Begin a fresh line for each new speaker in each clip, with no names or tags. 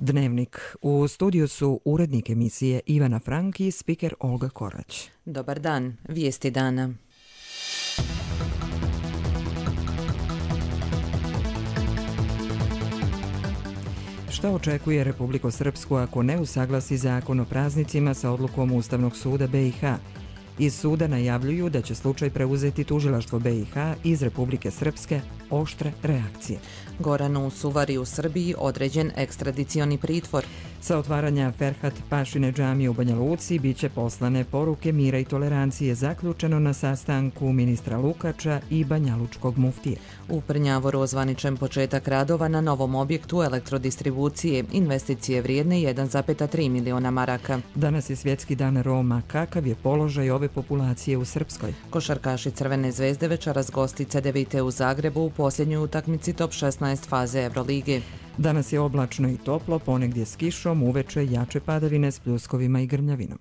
Dnevnik. U studiju su urednik emisije Ivana Frank i spiker Olga Korać.
Dobar dan, vijesti dana.
Šta očekuje Republiku Srpsku ako ne usaglasi zakon o praznicima sa odlukom Ustavnog suda BiH? Iz suda najavljuju da će slučaj preuzeti tužilaštvo BiH iz Republike Srpske. Oštre reakcije.
Goranu Suvari u Srbiji određen ekstradicioni pritvor.
Sa otvaranja Ferhat Pašine džamije u Banja Luci biće poslane poruke mira i tolerancije, zaključeno na sastanku ministra Lukača i banjalučkog muftije.
U Prnjavoru ozvaničen početak radova na novom objektu elektrodistribucije, investicije vrijedne 1,3 miliona maraka.
Danas je svjetski dan Roma. Kakav je položaj ove populacije u Srpskoj?
Košarkaši Crvene zvezde večeras gosti CDVite u Zagrebu u posljednjoj utakmici top 16 faze Evrolige.
Danas je oblačno i toplo, ponegdje s kišom, uveče jače padavine s pljuskovima i grmljavinom.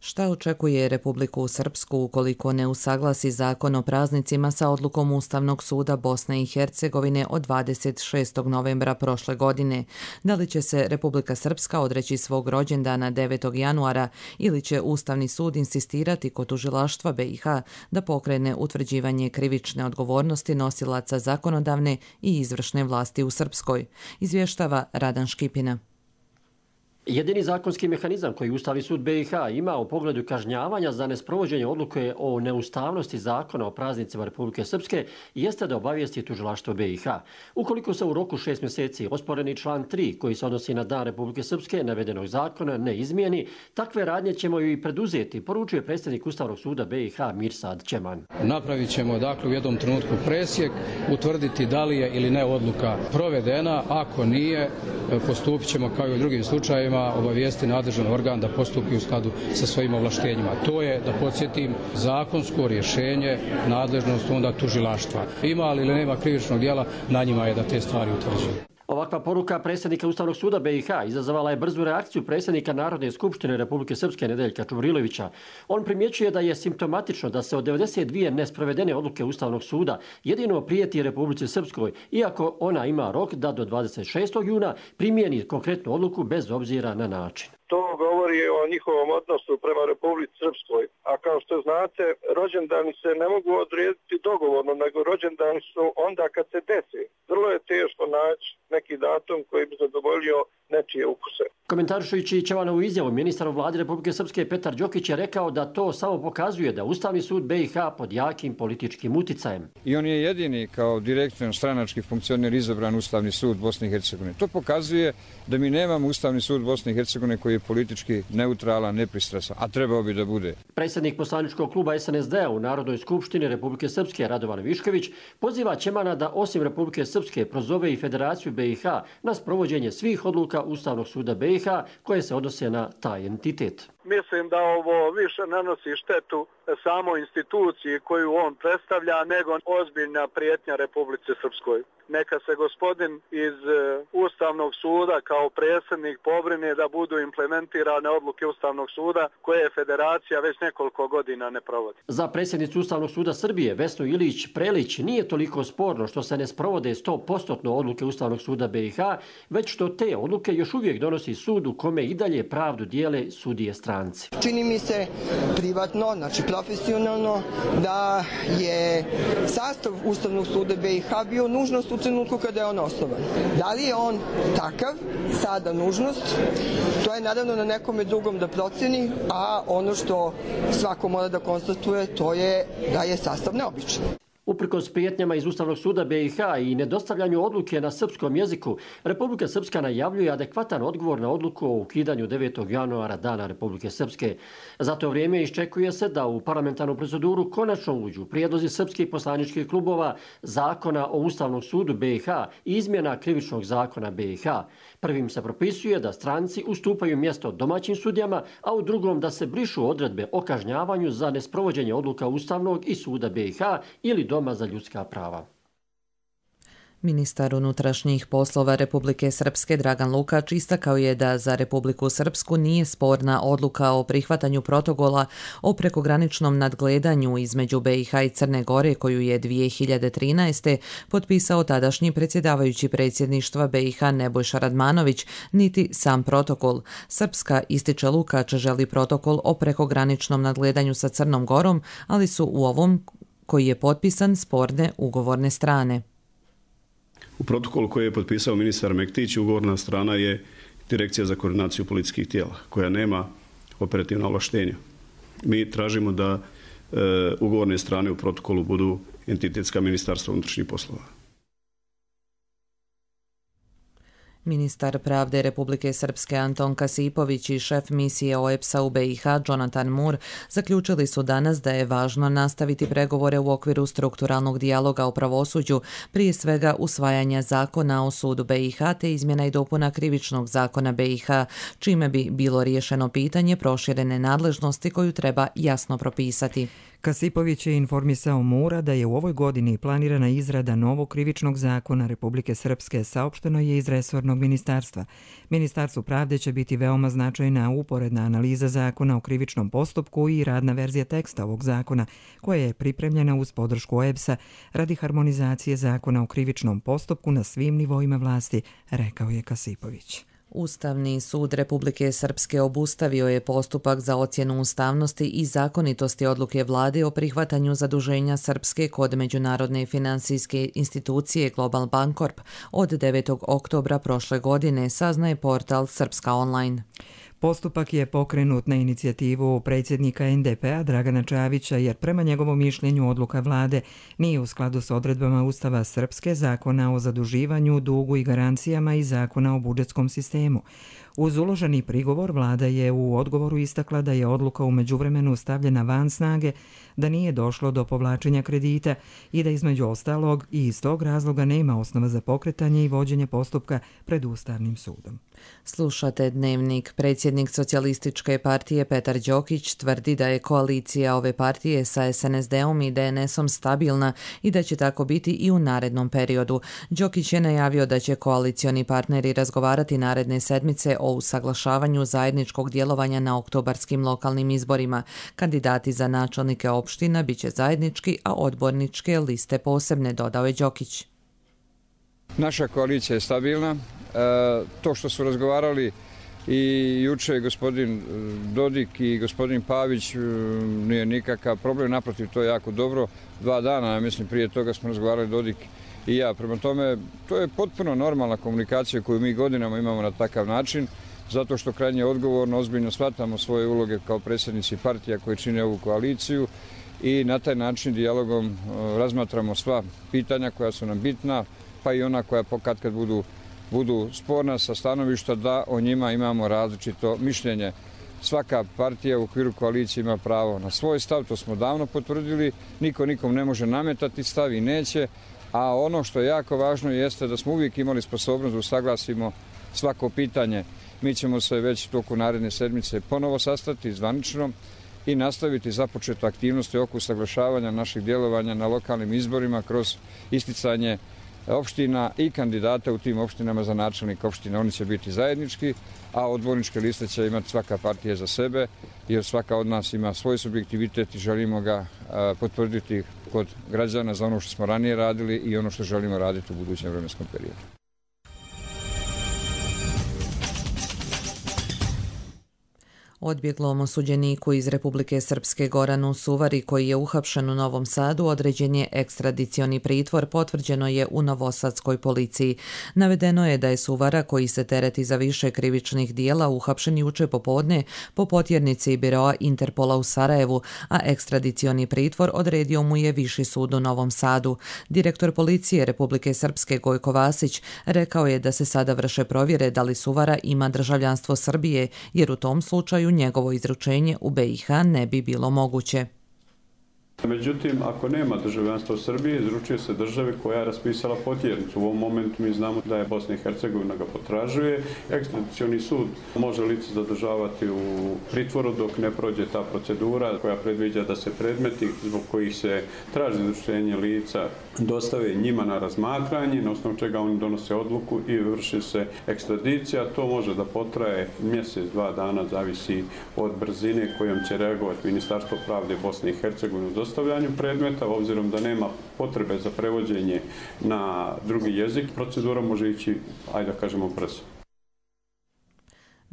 Šta očekuje Republiku Srpsku ukoliko ne usaglasi zakon o praznicima sa odlukom Ustavnog suda Bosne i Hercegovine od 26. novembra prošle godine? Da li će se Republika Srpska odreći svog rođendana 9. januara ili će Ustavni sud insistirati kod tužilaštva BiH da pokrene utvrđivanje krivične odgovornosti nosilaca zakonodavne i izvršne vlasti u Srpskoj? Izvještava Radan Škipina.
Jedini zakonski mehanizam koji Ustavni sud BiH ima u pogledu kažnjavanja za nesprovođenje odluke o neustavnosti zakona o praznicima Republike Srpske jeste da obavijesti tužilaštvo BiH. Ukoliko se u roku 6 mjeseci osporeni član 3 koji se odnosi na dan Republike Srpske navedenog zakona ne izmijeni, takve radnje ćemo i preduzeti, poručuje predsjednik Ustavnog suda BiH Mirsad Čeman.
Napravit ćemo u jednom trenutku presjek, utvrditi da li je ili ne odluka provedena, ako nije postupit ćemo kao i u drugim slučajevima, obavijesti nadležan organ da postupi u skladu sa svojim ovlaštenjima. To je, da podsjetim, zakonsko rješenje, nadležnost onda tužilaštva. Ima li ili nema krivičnog djela, na njima je da te stvari utvrđuju.
Ovakva poruka predsjednika Ustavnog suda BiH izazvala je brzu reakciju predsjednika Narodne skupštine Republike Srpske Nedeljka Čuvrilovića. On primjećuje da je simptomatično da se od 92 nesprovedene odluke Ustavnog suda jedino prijeti Republici Srpskoj, iako ona ima rok da do 26. juna primijeni konkretnu odluku bez obzira na način.
To govori o njihovom odnosu prema Republici Srpskoj. A kao što znate, rođendani se ne mogu odrediti dogovorno, nego rođendani su onda kad se desi. Vrlo je teško naći neki datum koji bi zadovoljio nečije ukuse.
Komentarišujući Čevanovu izjavu, ministar u vladi Republike Srpske Petar Đokić je rekao da to samo pokazuje da Ustavni sud BiH pod jakim političkim uticajem.
I on je jedini kao direktan stranački funkcioner izabran Ustavni sud Bosne i Hercegovine. To pokazuje da mi nemamo Ustavni sud Bosne i Hercegovine koji je politički neutralan, nepristrasan, a trebao bi da bude.
Predsjednik poslaničkog kluba SNSD-a u Narodnoj skupštini Republike Srpske Radovan Višković poziva Čemana da osim Republike Srpske prozove i Federaciju BiH na sprovođenje svih odluka Ustavnog suda BiH koje se odnose na taj entitet.
Mislim da ovo više nanosi štetu samo instituciji koju on predstavlja nego ozbiljna prijetnja Republici Srpskoj. Neka se gospodin iz Ustavnog suda kao predsjednik pobrine da budu implementirane odluke Ustavnog suda koje Federacija već nekoliko godina ne provodi.
Za predsjednicu Ustavnog suda Srbije Vesnu Ilić-Prelić nije toliko sporno što se ne sprovode 100% odluke Ustavnog suda BiH, već što te odluke još uvijek donosi sud u kome i dalje pravdu dijele sudije stranci.
Čini mi se privatno, znači profesionalno, da je sastav Ustavnog suda BiH bio nužnost u trenutku kada je on osnovan. Da li je on takav, sada nužnost, to je naravno na nekome drugom da proceni, a ono što svako mora da konstatuje to je da je sastav neobičan.
Uprkos prijetnjama iz Ustavnog suda BiH i nedostavljanju odluke na srpskom jeziku, Republika Srpska najavljuje adekvatan odgovor na odluku o ukidanju 9. januara Dana Republike Srpske. Za to vrijeme iščekuje se da u parlamentarnu proceduru konačno uđu prijedlozi srpskih poslaničkih klubova, zakona o Ustavnom sudu BiH i izmjena krivičnog zakona BiH. Prvim se propisuje da stranci ustupaju mjesto domaćim sudijama, a u drugom da se brišu odredbe o kažnjavanju za nesprovođenje odluka Ustavnog i suda BiH ili Doma za ljudska prava.
Ministar unutrašnjih poslova Republike Srpske Dragan Lukač istakao je da za Republiku Srpsku nije sporna odluka o prihvatanju protokola o prekograničnom nadgledanju između BiH i Crne Gore koju je 2013. potpisao tadašnji predsjedavajući predsjedništva BiH Nebojša Radmanović, niti sam protokol. Srpska, ističe Lukač, želi protokol o prekograničnom nadgledanju sa Crnom Gorom, ali su u ovom koji je potpisan sporne ugovorne strane.
U protokolu koji je potpisao ministar Mektić, ugovorna strana je Direkcija za koordinaciju policijskih tijela, koja nema operativna ovlaštenja. Mi tražimo da ugovorne strane u protokolu budu entitetska ministarstva unutrašnjih poslova.
Ministar pravde Republike Srpske Anton Kasipović i šef misije OEBS-a u BiH Jonathan Moore zaključili su danas da je važno nastaviti pregovore u okviru strukturalnog dijaloga o pravosuđu, prije svega usvajanja zakona o sudu BiH te izmjena i dopuna krivičnog zakona BiH, čime bi bilo riješeno pitanje proširene nadležnosti koju treba jasno propisati.
Kasipović je informisao Mura da je u ovoj godini planirana izrada novog krivičnog zakona Republike Srpske, saopšteno je iz resornog ministarstva. Ministarstvu pravde će biti veoma značajna uporedna analiza zakona o krivičnom postupku i radna verzija teksta ovog zakona, koja je pripremljena uz podršku OEBS-a radi harmonizacije zakona o krivičnom postupku na svim nivoima vlasti, rekao je Kasipović.
Ustavni sud Republike Srpske obustavio je postupak za ocjenu ustavnosti i zakonitosti odluke vlade o prihvatanju zaduženja Srpske kod međunarodne finansijske institucije Global Bancorp od 9. oktobra prošle godine, saznaje portal Srpska online.
Postupak je pokrenut na inicijativu predsjednika NDP-a Dragana Čavića jer prema njegovom mišljenju odluka vlade nije u skladu s odredbama Ustava Srpske, zakona o zaduživanju, dugu i garancijama i zakona o budžetskom sistemu. Uz uloženi prigovor, vlada je u odgovoru istakla da je odluka u međuvremenu stavljena van snage, da nije došlo do povlačenja kredita i da između ostalog i iz tog razloga nema osnova za pokretanje i vođenje postupka pred Ustavnim sudom.
Slušate Dnevnik. Predsjednik Socijalističke partije Petar Đokić tvrdi da je koalicija ove partije sa SNSD-om i DNS-om stabilna i da će tako biti i u narednom periodu. Đokić je najavio da će koalicioni partneri razgovarati naredne sedmice o usaglašavanju zajedničkog djelovanja na oktobarskim lokalnim izborima. Kandidati za načelnike opština biće zajednički, a odborničke liste posebne, dodao je Đokić.
Naša koalicija je stabilna. To što su razgovarali i juče gospodin Dodik i gospodin Pavić nije nikakav problem, naprotiv, to je jako dobro. 2 dana, mislim, prije toga smo razgovarali Dodik i ja. Prema tome, to je potpuno normalna komunikacija koju mi godinama imamo na takav način, zato što krajnje odgovorno, ozbiljno shvatamo svoje uloge kao predsjednici partija koji čine ovu koaliciju i na taj način dijalogom razmatramo sva pitanja koja su nam bitna, pa i ona koja katkad budu sporna sa stanovišta da o njima imamo različito mišljenje. Svaka partija u okviru koalicije ima pravo na svoj stav, to smo davno potvrdili, niko nikom ne može nametati stav i neće, a ono što je jako važno jeste da smo uvijek imali sposobnost da usaglasimo svako pitanje. Mi ćemo se već toku naredne sedmice ponovo sastati zvanično i nastaviti započetu aktivnosti oko usaglašavanja naših djelovanja na lokalnim izborima kroz isticanje opština i kandidata u tim opštinama za načelnik opština. Oni će biti zajednički, a odborničke liste će imati svaka partija za sebe, jer svaka od nas ima svoj subjektivitet i želimo ga potvrditi kod građana za ono što smo ranije radili i ono što želimo raditi u budućem vremenskom periodu.
Odbjeglom osuđeniku iz Republike Srpske Goranu Suvari, koji je uhapšen u Novom Sadu, određen je ekstradicioni pritvor, potvrđeno je u novosadskoj policiji. Navedeno je da je Suvara, koji se tereti za više krivičnih dijela, uhapšen juče popodne po potjernici biroa Interpola u Sarajevu, a ekstradicioni pritvor odredio mu je Viši sud u Novom Sadu. Direktor policije Republike Srpske Gojko Vasić rekao je da se sada vrše provjere da li Suvara ima državljanstvo Srbije, jer u tom slučaju njegovo izručenje u BiH ne bi bilo moguće.
Međutim, ako nema državljanstva u Srbiji, izručuje se državi koja je raspisala potjernicu. U ovom momentu mi znamo da je Bosna i Hercegovina ga potražuje. Ekstradicioni sud može lice zadržavati u pritvoru dok ne prođe ta procedura koja predviđa da se predmeti zbog kojih se traži izručenje lica dostave njima na razmatranje, na osnovu čega oni donose odluku i vrši se ekstradicija. To može da potraje mjesec, 2 dana, zavisi od brzine kojom će reagovati Ministarstvo pravde Bosne i Hercegovine u dostavljanju predmeta. Obzirom da nema potrebe za prevođenje na drugi jezik, procedura može ići, ajde da kažemo, brzo.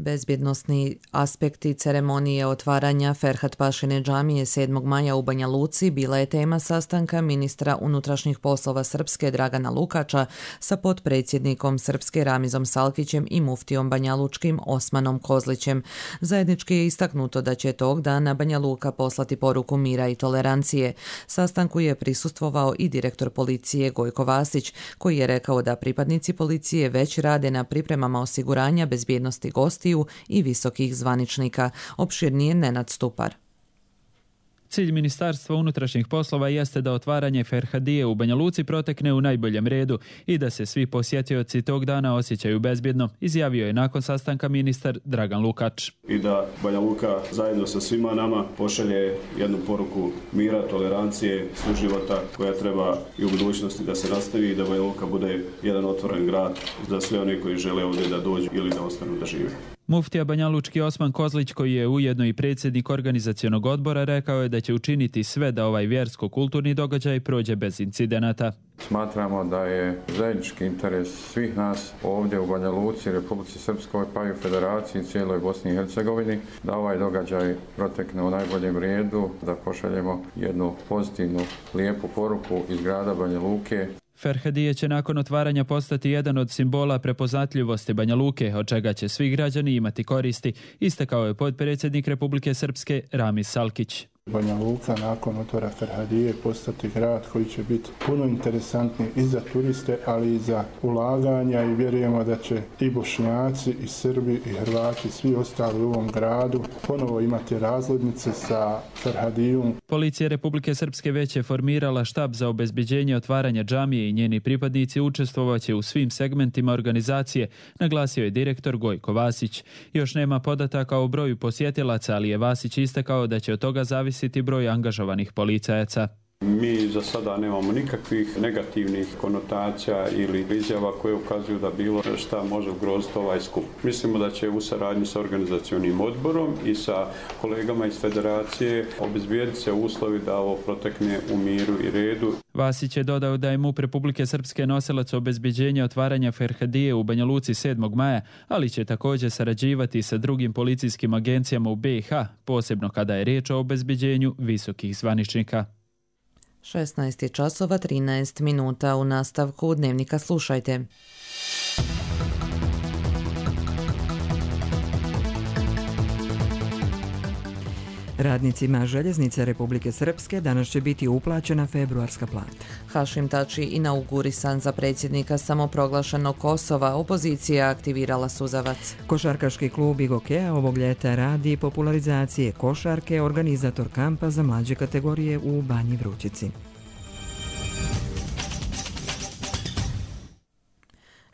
Bezbjednosni aspekti ceremonije otvaranja Ferhat-Pašine džamije 7. maja u Banja Luci bila je tema sastanka ministra unutrašnjih poslova Srpske Dragana Lukača sa potpredsjednikom Srpske Ramizom Salkićem i muftijom banjalučkim Osmanom Kozlićem. Zajednički je istaknuto da će tog dana Banja Luka poslati poruku mira i tolerancije. Sastanku je prisustvovao i direktor policije Gojko Vasić, koji je rekao da pripadnici policije već rade na pripremama osiguranja bezbjednosti gostiju i visokih zvaničnika. Opširnije Nenad Stupar.
Cilj Ministarstva unutrašnjih poslova jeste da otvaranje Ferhadije u Banja Luci protekne u najboljem redu i da se svi posjetioci tog dana osjećaju bezbjedno, izjavio je nakon sastanka ministar Dragan Lukač.
I da Banja Luka zajedno sa svima nama pošalje jednu poruku mira, tolerancije, suživota koja treba i u budućnosti da se nastavi i da Banja Luka bude jedan otvoren grad za sve one koji žele ovdje da dođu ili da ostanu da žive.
Muftija banjalučki Osman Kozlić, koji je ujedno i predsjednik organizacionog odbora, rekao je da će učiniti sve da ovaj vjersko-kulturni događaj prođe bez incidenata.
Smatramo da je zajednički interes svih nas ovdje u Banja Luci, Republici Srpskoj, pa i u Federaciji i cijeloj Bosni i Hercegovini, da ovaj događaj protekne u najboljem redu, da pošaljemo jednu pozitivnu, lijepu poruku iz grada Banja Luke.
Ferhadije će nakon otvaranja postati jedan od simbola prepoznatljivosti Banja Luke, od čega će svi građani imati koristi, istakao je potpredsjednik Republike Srpske Ramiz Salkić.
Banja Luka nakon otvora Ferhadije postati grad koji će biti puno interesantni i za turiste, ali i za ulaganja i vjerujemo da će i Bošnjaci, i Srbi, i Hrvati, svi ostali u ovom gradu ponovo imati razglednice sa Ferhadijom.
Policija Republike Srpske već je formirala štab za obezbeđenje otvaranja džamije i njeni pripadnici učestvovaće u svim segmentima organizacije, naglasio je direktor Gojko Vasić. Još nema podataka o broju posjetilaca, ali je Vasić istakao da će od toga zavisiti broj angažovanih policajaca.
Mi za sada nemamo nikakvih negativnih konotacija ili izjava koje ukazuju da bilo šta može ugroziti ovaj skup. Mislimo da će u saradnji sa organizacionim odborom i sa kolegama iz Federacije obezbijediti se uslovi da ovo protekne u miru i redu.
Vasić je dodao da je MUP Republike Srpske nosilac obezbeđenja otvaranja Ferhadije u Banja Luci 7. maja, ali će također sarađivati sa drugim policijskim agencijama u BiH, posebno kada je riječ o obezbeđenju visokih zvaničnika.
16 časova 13 minuta. U nastavku Dnevnika slušajte.
Radnicima željeznice Republike Srpske danas će biti uplaćena februarska plata.
Hašim Tači inaugurisan za predsjednika samoproglašenog Kosova, opozicija aktivirala suzavac.
Košarkaški klub Igokea ovog ljeta radi popularizacije košarke, organizator kampa za mlađe kategorije u Banji Vrućici.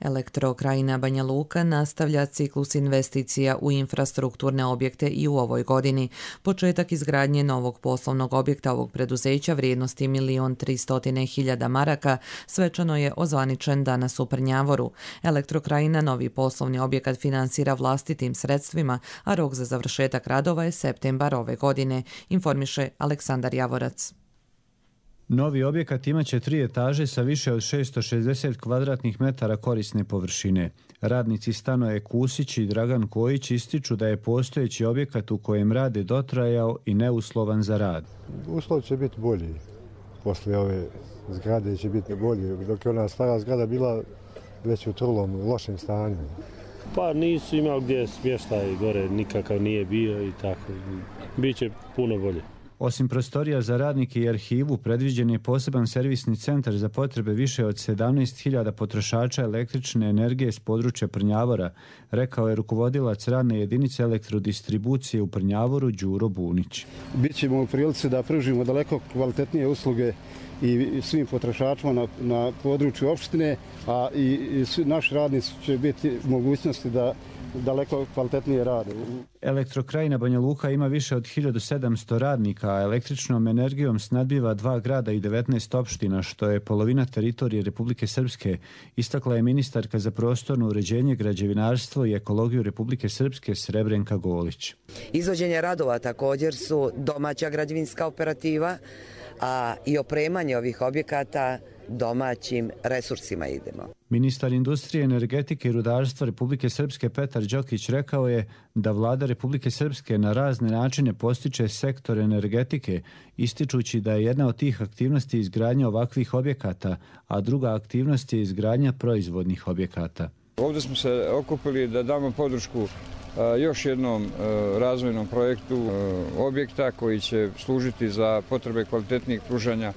Elektrokrajina Banja Luka nastavlja ciklus investicija u infrastrukturne objekte i u ovoj godini. Početak izgradnje novog poslovnog objekta ovog preduzeća vrijednosti 1.300.000 maraka svečano je ozvaničen danas u Prnjavoru. Elektrokrajina novi poslovni objekat finansira vlastitim sredstvima, a rok za završetak radova je septembar ove godine, informiše Aleksandar Javorac.
Novi objekat imaće 3 etaže sa više od 660 kvadratnih metara korisne površine. Radnici stanoje Kusić i Dragan Kojić ističu da je postojeći objekat u kojem rade dotrajao i neuslovan za rad.
Uslov će biti bolji. Posle ove zgrade će biti bolji. Dok je ona stara zgrada bila već u trulom, lošem stanju.
Pa nisu imali gdje smještaj gore, nikakav nije bio i tako. Biće puno bolje.
Osim prostorija za radnike i arhivu, predviđen je poseban servisni centar za potrebe više od 17.000 potrošača električne energije s područja Prnjavora, rekao je rukovodilac radne jedinice elektrodistribucije u Prnjavoru Đuro Bunić.
Bićemo u prilici da pružimo daleko kvalitetnije usluge i svim potrošačima na području opštine, a i naši radnici će biti u mogućnosti da daleko kvalitetnije rade.
Elektrokrajina Banja Luka ima više od 1700 radnika, a električnom energijom snadbiva 2 grada i 19 opština, što je polovina teritorije Republike Srpske, istakla je ministarka za prostorno uređenje, građevinarstvo i ekologiju Republike Srpske Srebrenka Golić.
Izvođenje radova također su domaća građevinska operativa, a i opremanje ovih objekata domaćim resursima idemo.
Ministar industrije, energetike i rudarstva Republike Srpske Petar Đokić rekao je da vlada Republike Srpske na razne načine postiče sektor energetike, ističući da je jedna od tih aktivnosti izgradnja ovakvih objekata, a druga aktivnost je izgradnja proizvodnih objekata.
Ovdje smo se okupili da damo podršku još jednom razvojnom projektu objekta koji će služiti za potrebe kvalitetnijeg pružanja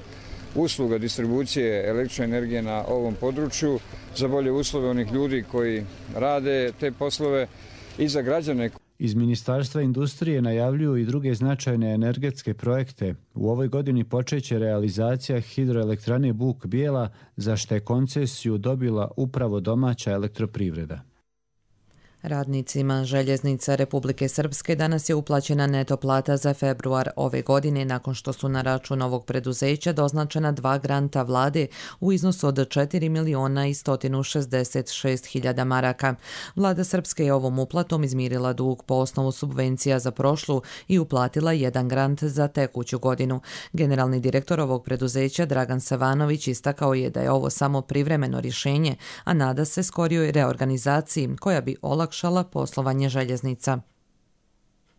usluga distribucije električne energije na ovom području, za bolje uslove onih ljudi koji rade te poslove i za građane.
Iz Ministarstva industrije najavljuju i druge značajne energetske projekte. U ovoj godini počeće realizacija hidroelektrane Buk Bijela, za što je koncesiju dobila upravo domaća elektroprivreda.
Radnicima Željeznica Republike Srpske danas je uplaćena neto plata za februar ove godine nakon što su na račun ovog preduzeća doznačena 2 granta vlade u iznosu od 4.166.000 maraka. Vlada Srpske je ovom uplatom izmirila dug po osnovu subvencija za prošlu i uplatila 1 grant za tekuću godinu. Generalni direktor ovog preduzeća Dragan Savanović istakao je da je ovo samo privremeno rješenje, a nada se skorijoj reorganizaciji koja bi olakšala poslovanje željeznica.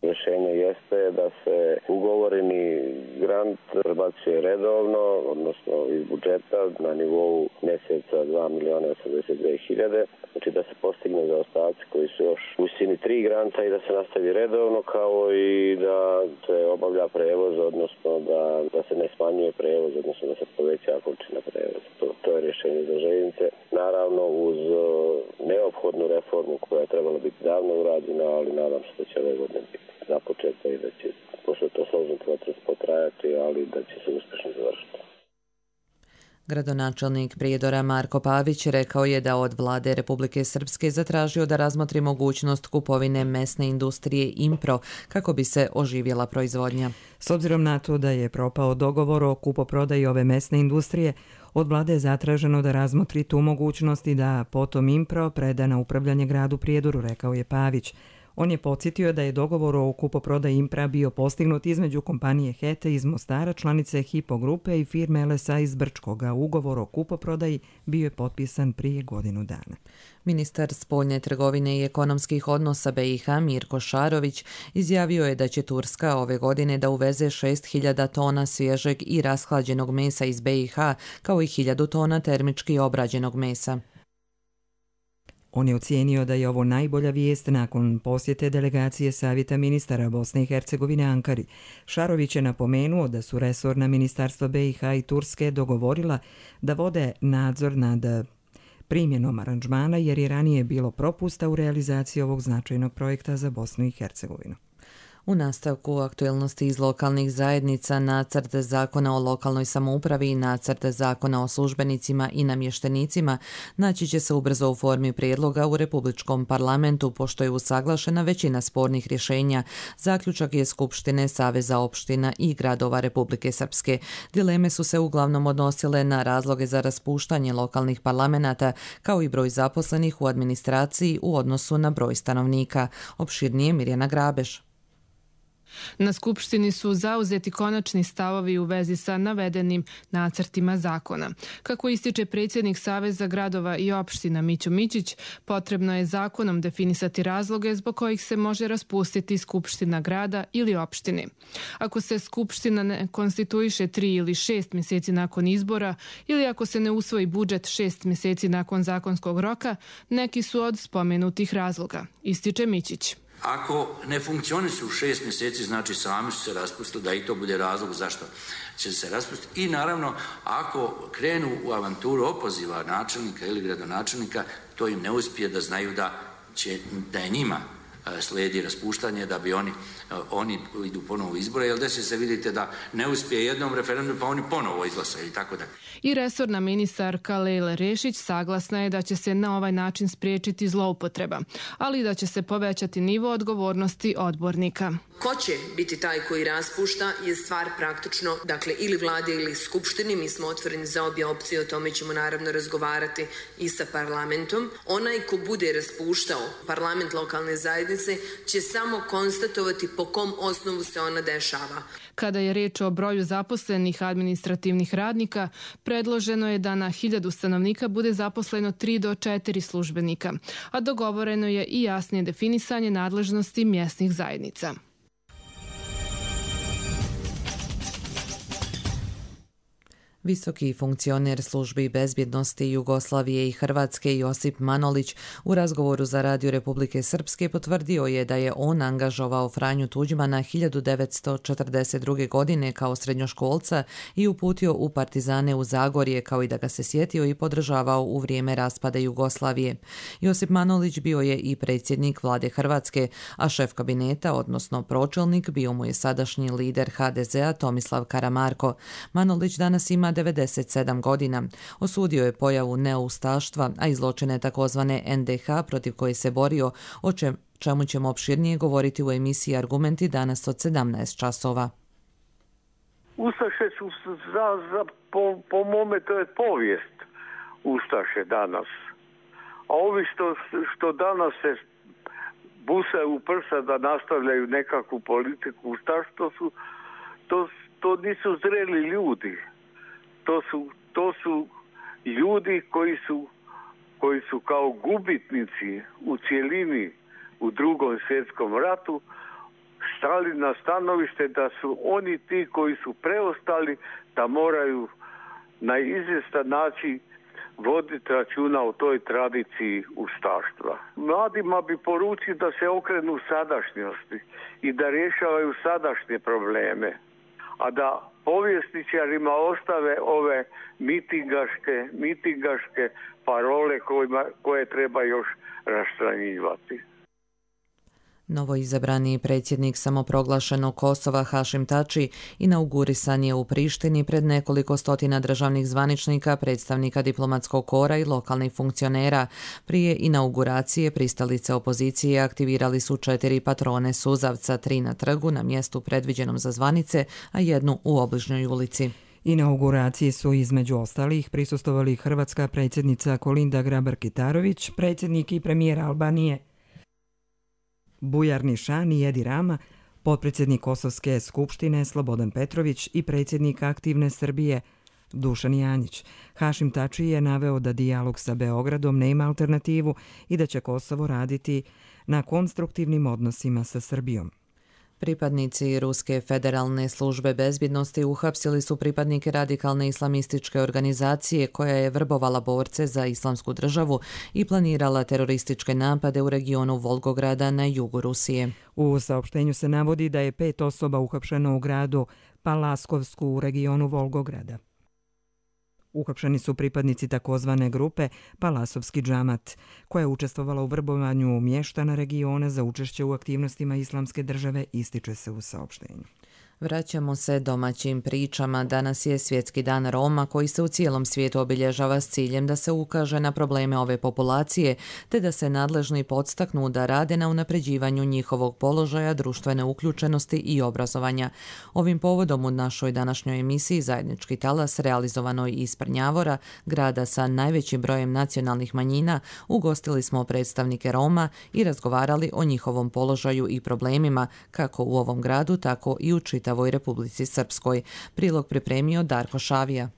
Rješenje jeste da se ugovoreni grant prebacuje redovno, odnosno iz budžeta na nivou mjeseca 2.082.000, znači da se postigne zaostaci koji su još u visini 3 granta i da se nastavi redovno, kao i da se obavlja prevoz, odnosno da se ne smanjuje prevoz, odnosno da se poveća količina prevoza. To je rješenje za željeznice. Naravno uz neophodnu reformu koja je trebala biti davno urađena, ali nadam se da će ove godine biti započeta i da će, pošto je to složen proces, potrajati, ali da će se uspješno završiti.
Gradonačelnik Prijedora Marko Pavić rekao je da od vlade Republike Srpske zatražio da razmotri mogućnost kupovine mesne industrije Impro kako bi se oživjela proizvodnja.
S obzirom na to da je propao dogovor o kupoprodaji ove mesne industrije, od vlade je zatraženo da razmotri tu mogućnost i da potom Impro preda na upravljanje gradu Prijedoru, rekao je Pavić. On je podsjetio da je dogovor o kupoprodaji Impra bio postignut između kompanije Hete iz Mostara, članice Hypo grupe i firme LSA iz Brčkoga. Ugovor o kupoprodaji bio je potpisan prije godinu dana.
Ministar spoljne trgovine i ekonomskih odnosa BiH Mirko Šarović izjavio je da će Turska ove godine da uveze 6.000 tona svježeg i rashlađenog mesa iz BiH, kao i 1.000 tona termički obrađenog mesa.
On je ocijenio da je ovo najbolja vijest nakon posjete delegacije Savjeta ministara Bosne i Hercegovine Ankari. Šarović je napomenuo da su resorna ministarstva BiH i Turske dogovorila da vode nadzor nad primjenom aranžmana jer je ranije bilo propusta u realizaciji ovog značajnog projekta za Bosnu i Hercegovinu.
U nastavku aktuelnosti iz lokalnih zajednica, nacrt zakona o lokalnoj samoupravi i nacrt zakona o službenicima i namještenicima naći će se ubrzo u formi prijedloga u Republičkom parlamentu, pošto je usaglašena većina spornih rješenja. Zaključak je Skupštine Saveza opština i gradova Republike Srpske. Dileme su se uglavnom odnosile na razloge za raspuštanje lokalnih parlamenata, kao i broj zaposlenih u administraciji u odnosu na broj stanovnika. Opširnije Mirjana Grabeš.
Na Skupštini su zauzeti konačni stavovi u vezi sa navedenim nacrtima zakona. Kako ističe predsjednik Saveza gradova i opština Mićo Mićić, potrebno je zakonom definisati razloge zbog kojih se može raspustiti Skupština grada ili opštine. Ako se Skupština ne konstituiše 3 ili 6 mjeseci nakon izbora ili ako se ne usvoji budžet 6 mjeseci nakon zakonskog roka, neki su od spomenutih razloga, ističe Mićić.
Ako ne funkcionišu u 6 mjeseci, znači sami su se raspustili, da i to bude razlog zašto će se raspustiti. I naravno, ako krenu u avanturu opoziva načelnika ili gradonačelnika, to im ne uspije, da znaju da je njima slijedi raspuštanje, da bi oni idu ponovo u izbore, jer desi se, vidite, da ne uspije jednom referendumu, pa oni ponovo izglasaju i tako da.
I resorna ministarka Lejla Rešić saglasna je da će se na ovaj način spriječiti zloupotreba, ali da će se povećati nivo odgovornosti odbornika.
Ko će biti taj koji raspušta je stvar praktično, dakle, ili vlade ili skupštini. Mi smo otvoreni za obje opcije, o tome ćemo naravno razgovarati i sa parlamentom. Onaj ko bude raspuštao parlament lokalne zajednice će samo konstatovati po kom osnovu se ona dešava.
Kada je riječ o broju zaposlenih administrativnih radnika, predloženo je da na 1000 stanovnika bude zaposleno 3 do 4 službenika, a dogovoreno je i jasnije definisanje nadležnosti mjesnih zajednica.
Visoki funkcioner službi bezbjednosti Jugoslavije i Hrvatske Josip Manolić u razgovoru za Radio Republike Srpske potvrdio je da je on angažovao Franju Tuđmana 1942. godine kao srednjoškolca i uputio u partizane u Zagorje, kao i da ga se sjetio i podržavao u vrijeme raspada Jugoslavije. Josip Manolić bio je i predsjednik vlade Hrvatske, a šef kabineta, odnosno pročelnik, bio mu je sadašnji lider HDZ-a Tomislav Karamarko. Manolić danas ima 97 godina. Osudio je pojavu neustaštva, a i zločine takozvane NDH protiv koje se borio, o čemu ćemo opširnije govoriti u emisiji Argumenti danas od 17 časova.
Ustaše su, po mome, to je povijest Ustaše danas. A ovi što danas se busaju u prsa da nastavljaju nekakvu politiku ustaštva, to nisu zreli ljudi. To su ljudi koji su kao gubitnici u cjelini u Drugom svjetskom ratu stali na stanovište da su oni ti koji su preostali, da moraju na izvjestan način voditi računa o toj tradiciji ustaštva. Mladima bi poručio da se okrenu sadašnjosti i da rješavaju sadašnje probleme, a da povjesničarima ostave ove mitingaške parole koje treba još raščlanjivati.
Novoizabrani predsjednik samoproglašenog Kosova Hašim Tači inaugurisan je u Prištini pred nekoliko stotina državnih zvaničnika, predstavnika diplomatskog kora i lokalnih funkcionera. Prije inauguracije pristalice opozicije aktivirali su 4 patrone suzavca, 3 na trgu na mjestu predviđenom za zvanice, a 1 u obližnjoj ulici.
Inauguraciji su između ostalih prisustvovali hrvatska predsjednica Kolinda Grabar-Kitarović, predsjednik i premijer Albanije Bujar Nišan i Edi Rama, potpredsjednik Kosovske skupštine Slobodan Petrović i predsjednik Aktivne Srbije Dušan Janjić. Hašim Tači je naveo da dijalog sa Beogradom nema alternativu i da će Kosovo raditi na konstruktivnim odnosima sa Srbijom.
Pripadnici Ruske federalne službe bezbjednosti uhapsili su pripadnike radikalne islamističke organizacije koja je vrbovala borce za islamsku državu i planirala terorističke napade u regionu Volgograda na jugu Rusije.
U saopštenju se navodi da je 5 osoba uhapšeno u gradu Palaskovsku u regionu Volgograda. Uhapšeni su pripadnici takozvane grupe Palasovski džamat, koja je učestvovala u vrbovanju mještana regiona za učešće u aktivnostima islamske države, ističe se u saopštenju.
Vraćamo se domaćim pričama. Danas je Svjetski dan Roma koji se u cijelom svijetu obilježava s ciljem da se ukaže na probleme ove populacije te da se nadležni podstaknu da rade na unapređivanju njihovog položaja, društvene uključenosti i obrazovanja. Ovim povodom u našoj današnjoj emisiji Zajednički talas, realizovanoj iz Prnjavora, grada sa najvećim brojem nacionalnih manjina, ugostili smo predstavnike Roma i razgovarali o njihovom položaju i problemima kako u ovom gradu, tako i u čitavoj Republici Srpskoj. Prilog pripremio Darko Šavija.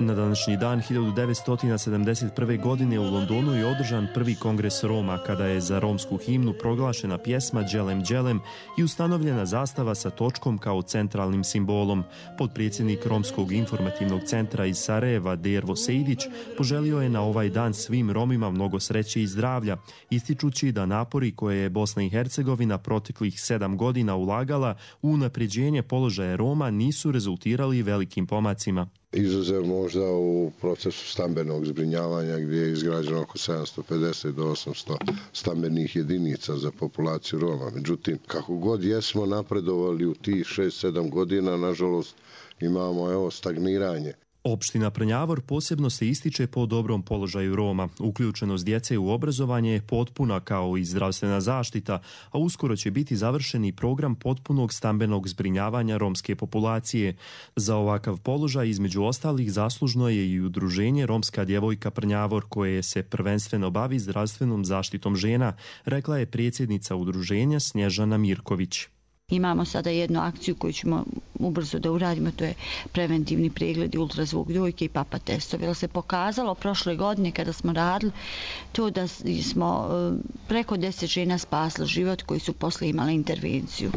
Na današnji dan 1971. godine u Londonu je održan prvi kongres Roma, kada je za romsku himnu proglašena pjesma Đelem Đelem i ustanovljena zastava sa točkom kao centralnim simbolom. Potpredsjednik Romskog informativnog centra iz Sarajeva, Dervo Sejdić, poželio je na ovaj dan svim Romima mnogo sreće i zdravlja, ističući da napori koje je Bosna i Hercegovina proteklih 7 godina ulagala u unapređenje položaja Roma nisu rezultirali velikim pomacima.
Izuzev možda u procesu stambenog zbrinjavanja gdje je izgrađeno oko 750 do 800 stambenih jedinica za populaciju Roma. Međutim, kako god jesmo napredovali u tih 6-7 godina, nažalost imamo stagniranje.
Opština Prnjavor posebno se ističe po dobrom položaju Roma. Uključenost djece u obrazovanje je potpuna kao i zdravstvena zaštita, a uskoro će biti završen i program potpunog stambenog zbrinjavanja romske populacije. Za ovakav položaj između ostalih zaslužno je i udruženje Romska djevojka Prnjavor koje se prvenstveno bavi zdravstvenom zaštitom žena, rekla je predsjednica udruženja Snježana Mirković.
Imamo sada jednu akciju koju ćemo ubrzo da uradimo, to je preventivni pregledi, ultrazvuk dojke i papa testovi. Jer se pokazalo prošle godine kada smo radili to da smo preko 10 žena spasli život koji su posle imali intervenciju.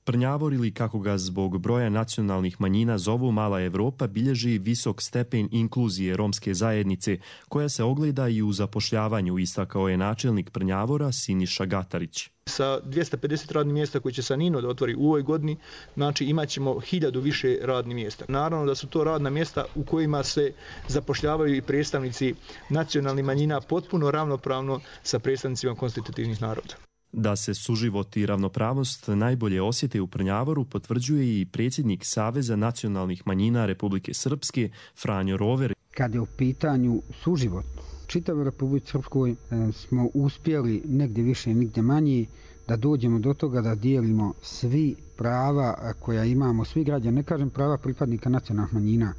Prnjavor, ili kako ga zbog broja nacionalnih manjina zovu Mala Evropa, bilježi visok stepen inkluzije romske zajednice, koja se ogleda i u zapošljavanju, istakao je načelnik Prnjavora Siniša Gatarić.
Sa 250 radnih mjesta koji će Sanino da otvori u ovoj godini, znači imat ćemo 1000 više radnih mjesta. Naravno da su to radna mjesta u kojima se zapošljavaju i predstavnici nacionalnih manjina potpuno ravnopravno sa predstavnicima konstitutivnih naroda.
Da se suživot i ravnopravnost najbolje osjete u Prnjavoru potvrđuje i predsjednik Saveza nacionalnih manjina Republike Srpske Franjo Rover.
Kad je u pitanju suživot, čitavoj Republici Srpskoj smo uspjeli negdje više, nigdje manje da dođemo do toga da dijelimo svi prava koja imamo, svi građani, ne kažem prava pripadnika nacionalnih manjina.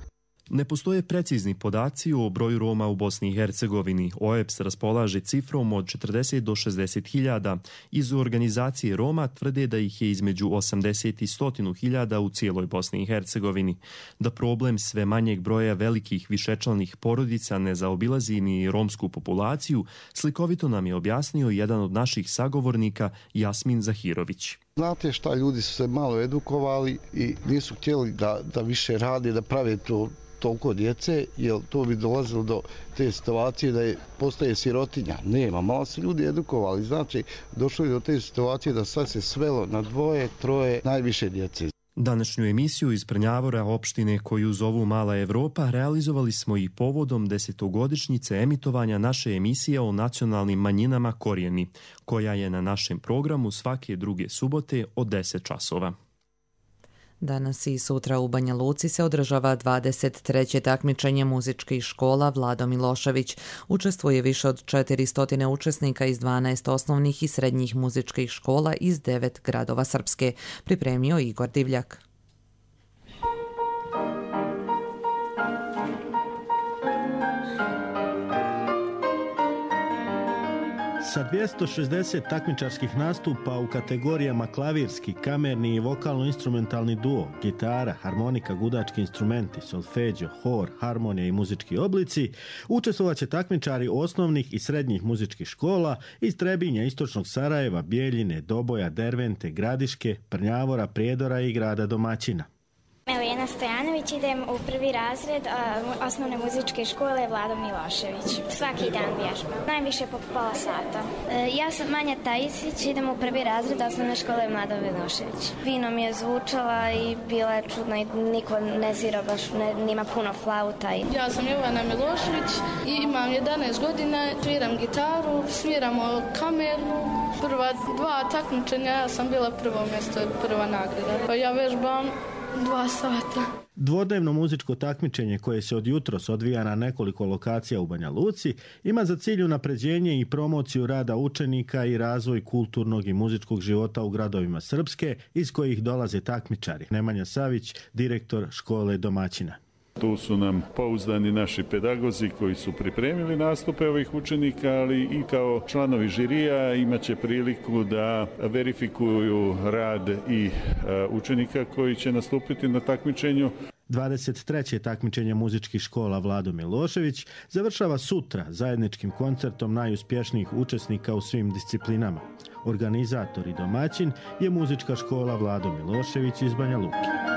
Ne postoje precizni podaci o broju Roma u Bosni i Hercegovini. OEBS raspolaže cifrom od 40 do 60 hiljada. Iz organizacije Roma tvrde da ih je između 80 i 100 hiljada u cijeloj Bosni i Hercegovini. Da problem sve manjeg broja velikih višečlanih porodica ne zaobilazi ni romsku populaciju, slikovito nam je objasnio jedan od naših sagovornika Jasmin Zahirović.
Znate šta, ljudi su se malo edukovali i nisu htjeli da više rade, da prave toliko djece, jer to bi dolazilo do te situacije da postaje sirotinja. Nema, malo su ljudi edukovali, znači došlo je do te situacije da sad se svelo na 2, 3 najviše djece.
Današnju emisiju iz Prnjavora, opštine koju zovu Mala Evropa, realizovali smo i povodom 10-godišnjice emitovanja naše emisije o nacionalnim manjinama Korijeni, koja je na našem programu svake druge subote od 10 časova.
Danas i sutra u Banja Luci se održava 23. takmičenje muzičkih škola Vlado Milošević. Učestvuje više od 400 učesnika iz 12 osnovnih i srednjih muzičkih škola iz 9 gradova Srpske. Pripremio Igor Divljak.
Sa 260 takmičarskih nastupa u kategorijama klavirski, kamerni i vokalno-instrumentalni duo, gitara, harmonika, gudački instrumenti, solfeđo, hor, harmonija i muzički oblici, učestvovat će takmičari osnovnih i srednjih muzičkih škola iz Trebinja, Istočnog Sarajeva, Bijeljine, Doboja, Dervente, Gradiške, Prnjavora, Prijedora i grada domaćina.
Elena Stojanović, idem u prvi razred osnovne muzičke škole Vlado Milošević. Svaki dan vježbam, najviše po pola sata. Ja sam Manja Tajisić, idem u prvi razred osnovne škole Vlado Milošević. Fino mi je zvučala i bila je čudna i niko ne svira baš, nima puno flauta.
Ja sam Jovana Milošević i imam 11 godina, sviram gitaru, sviramo kamernu. Prva 2 takmičenja ja sam bila prvo mjesto, prva nagrada. Ja vežbam 2 sata.
Dvodnevno muzičko takmičenje koje se od jutros odvija na nekoliko lokacija u Banja Luci ima za cilj unapređenje i promociju rada učenika i razvoj kulturnog i muzičkog života u gradovima Srpske iz kojih dolaze takmičari. Nemanja Savić, direktor škole domaćina.
Tu su nam pouzdani naši pedagozi koji su pripremili nastupe ovih učenika, ali i kao članovi žirija imat će priliku da verifikuju rad i učenika koji će nastupiti na takmičenju.
23. takmičenje muzičkih škola Vlado Milošević završava sutra zajedničkim koncertom najuspješnijih učesnika u svim disciplinama. Organizator i domaćin je muzička škola Vlado Milošević iz Banja Luke.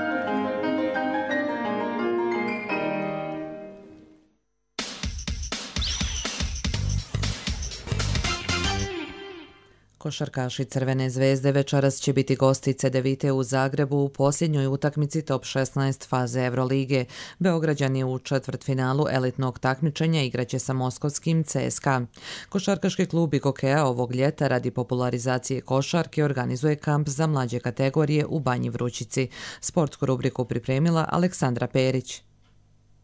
Košarkaši Crvene zvezde večeras će biti gosti Cedevite u Zagrebu u posljednjoj utakmici top 16 faze Evrolige. Beograđani u četvrtfinalu elitnog takmičenja igraće sa moskovskim CSKA. Košarkaški klub IGOKEA ovog ljeta radi popularizacije košarke organizuje kamp za mlađe kategorije u Banji Vrućici. Sportsku rubriku pripremila Aleksandra Perić.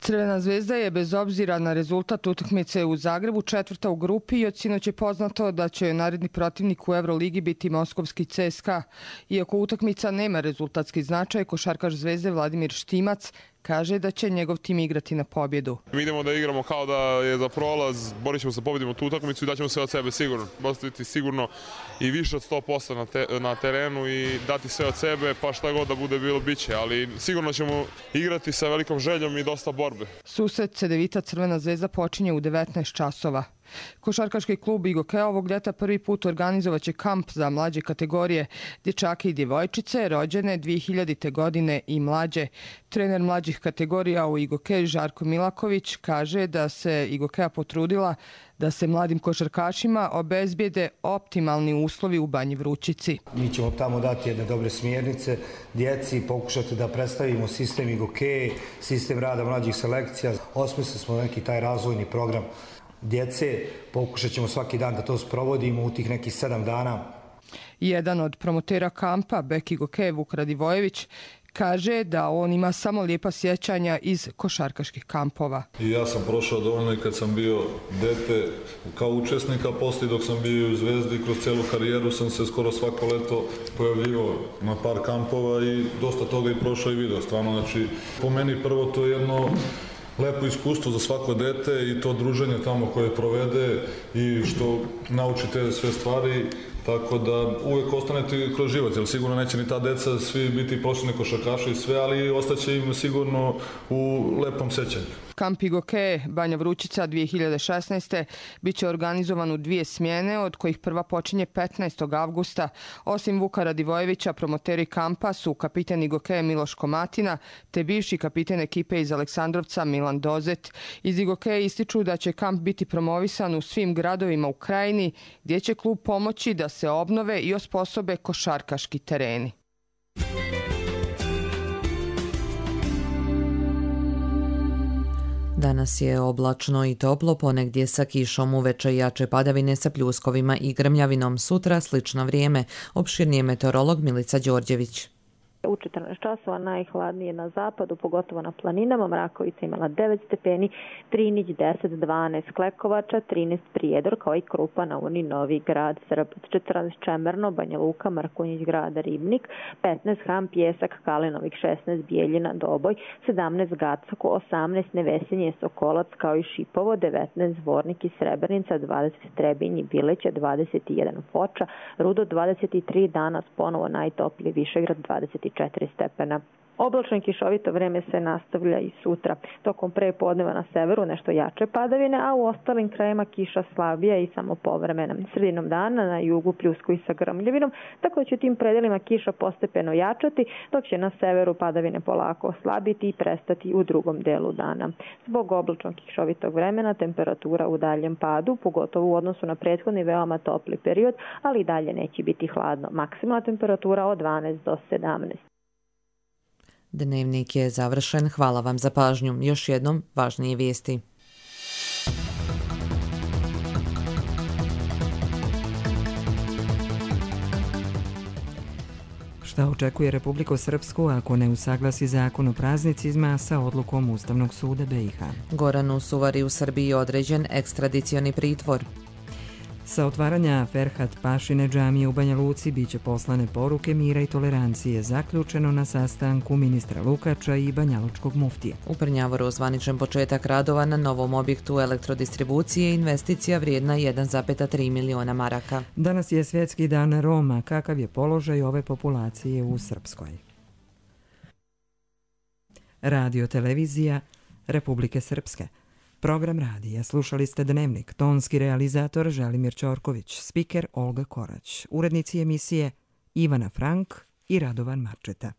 Crvena zvezda je bez obzira na rezultat utakmice u Zagrebu četvrta u grupi i od sinoć je poznato da će naredni protivnik u Euroligi biti moskovski CSKA. Iako utakmica nema rezultatski značaj, košarkaš zvezde Vladimir Štimac kaže da će njegov tim igrati na pobjedu.
Mi idemo da igramo kao da je za prolaz, borit ćemo se pobjedimo tu utakmicu i daćemo sve od sebe sigurno. Postaviti sigurno i više od 100% na terenu i dati sve od sebe, pa šta god da bude bilo biće, ali sigurno ćemo igrati sa velikom željom i dosta borbe. Susret Cedevita Crvena zvezda počinje u 19 časova. Košarkaški klub IGOKEA ovog ljeta prvi put organizovaće kamp za mlađe kategorije, dječake i djevojčice rođene 2000. godine i mlađe. Trener mlađih kategorija u IGOKEA Žarko Milaković kaže da se IGOKEA potrudila da se mladim košarkašima obezbijede optimalni uslovi u Banji Vrućici.
Mi ćemo tamo dati jedne dobre smjernice djeci, pokušati da predstavimo sistem IGOKEA, sistem rada mlađih selekcija. Osmislili smo neki taj razvojni program djece, pokušat ćemo svaki dan da to sprovodimo u tih nekih 7 dana.
Jedan od promotera kampa, bek IGOKEA Vuk Radivojević, kaže da on ima samo lijepa sjećanja iz košarkaških kampova.
I ja sam prošao dovoljno i kad sam bio dete kao učesnika, poslije dok sam bio u Zvezdi, kroz cijelu karijeru sam se skoro svako leto pojavljivao na par kampova i dosta toga i prošao i video. Stvarno, znači, po meni prvo to je jedno lepo iskustvo za svako dete i to druženje tamo koje provede i što naučite sve stvari, tako da uvijek ostanete kroz život, jer sigurno neće ni ta deca svi biti profesionalni košarkaši i sve, ali ostaće im sigurno u lepom sećanju.
Kamp IGOKEA Banja Vrućica 2016. bit će organizovan u 2 smjene, od kojih prva počinje 15. avgusta. Osim Vuka Radivojevića, promoteri kampa su kapiten IGOKEA Miloš Komatina, te bivši kapiten ekipe iz Aleksandrovca Milan Dozet. Iz IGOKEA ističu da će kamp biti promovisan u svim gradovima u krajini, gdje će klub pomoći da se obnove i osposobe košarkaški tereni.
Danas je oblačno i toplo, ponegdje sa kišom, uveče jače padavine sa pljuskovima i grmljavinom. Sutra slično vrijeme. Opširnije meteorolog Milica Đorđević.
U 14 časova najhladnije na zapadu, pogotovo na planinama. Mrakovica imala 9 stepeni, Trinić 10, 12 Klekovača, 13 Prijedor, kao i Krupa, Novoni, Novi Grad, Srbac 14 Čemerno, Banja Luka, Mrkonjić Grada, Ribnik, 15 Ham, Pjesak, Kalinovik, 16 Bijeljina, Doboj, 17 Gacako, 18 Nevesinje, Sokolac, kao i Šipovo, 19 Zvornik i Srebrnica, 20 Trebinj i Bileća, 21 Foča, Rudo 23, danas ponovo najtopliji Višegrad 24 stepena. Oblačno i kišovito vreme se nastavlja i sutra. Tokom prepodneva na severu nešto jače padavine, a u ostalim krajima kiša slabija i samo povremena. Sredinom dana na jugu pljusko i sa grmljavinom, tako da će tim predelima kiša postepeno jačati, dok će na severu padavine polako oslabiti i prestati u drugom delu dana. Zbog oblačnog kišovitog vremena temperatura u daljem padu, pogotovo u odnosu na prethodni veoma topli period, ali i dalje neće biti hladno. Maksimalna temperatura od 12 do 17.
Dnevnik je završen. Hvala vam za pažnju. Još jednom važnije vijesti.
Šta očekuje Republiku Srpsku ako ne usaglasi zakon o praznicima sa odlukom Ustavnog suda BiH?
Goranu Suvari u Srbiji određen ekstradicioni pritvor.
Sa otvaranja Ferhat Pašine džamije u Banja Luci biće poslane poruke mira i tolerancije, zaključeno na sastanku ministra Lukača i banjalučkog muftije.
U Prnjavoru zvaničan početak radova na novom objektu elektrodistribucije, investicija vrijedna 1,3 miliona maraka.
Danas je svjetski dan Roma. Kakav je položaj ove populacije u Srpskoj? Radio televizija Republike Srpske. Program radija slušali ste Dnevnik, tonski realizator Želimir Ćorković, spiker Olga Korać, urednici emisije Ivana Frank i Radovan Marčeta.